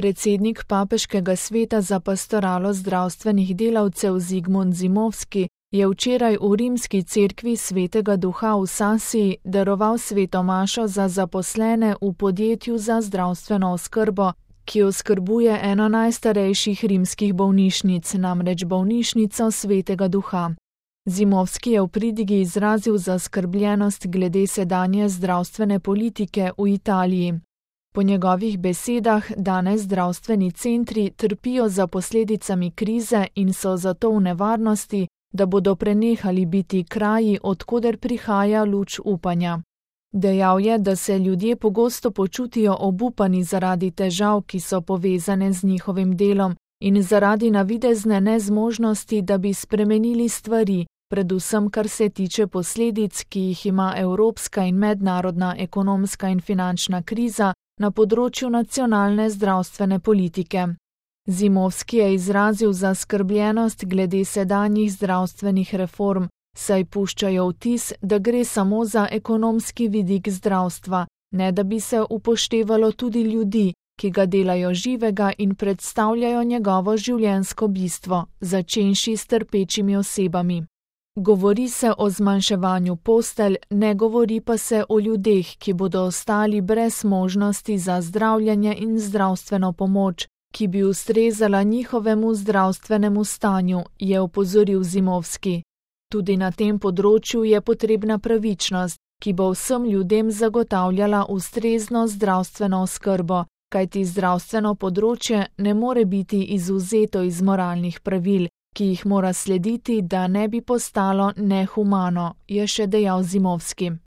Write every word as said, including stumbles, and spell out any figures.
Predsednik Papeškega sveta za pastoralo zdravstvenih delavcev Zigmund Zimovski je včeraj v rimski cerkvi Svetega Duha v Sasiji daroval sveto mašo za zaposlene v podjetju za zdravstveno oskrbo, ki oskrbuje eno najstarejših rimskih bolnišnic, namreč bolnišnico Svetega Duha. Zimovski je v pridigi izrazil zaskrbljenost glede sedanje zdravstvene politike v Italiji. Po njegovih besedah danes zdravstveni centri trpijo za posledicami krize in so zato v nevarnosti, da bodo prenehali biti kraji, od koder prihaja luč upanja. Dejal je, da se ljudje pogosto počutijo obupani zaradi težav, ki so povezane z njihovim delom in zaradi navidezne nezmožnosti, da bi spremenili stvari, predvsem kar se tiče posledic, ki jih ima evropska in mednarodna ekonomska in finančna kriza na področju nacionalne zdravstvene politike. Zimovski je izrazil zaskrbljenost glede sedanjih zdravstvenih reform, saj puščajo vtis, da gre samo za ekonomski vidik zdravstva, ne da bi se upoštevalo tudi ljudi, ki ga delajo živega in predstavljajo njegovo življenjsko bistvo, začenši s trpečimi osebami. Govori se o zmanjševanju postelj, ne govori pa se o ljudeh, ki bodo ostali brez možnosti za zdravljenje in zdravstveno pomoč, ki bi ustrezala njihovemu zdravstvenemu stanju, je opozoril Zimovski. Tudi na tem področju je potrebna pravičnost, ki bo vsem ljudem zagotavljala ustrezno zdravstveno oskrbo, kajti zdravstveno področje ne more biti izvzeto iz moralnih pravil, ki jih mora slediti, da ne bi postalo nehumano, je še dejal Zimovski.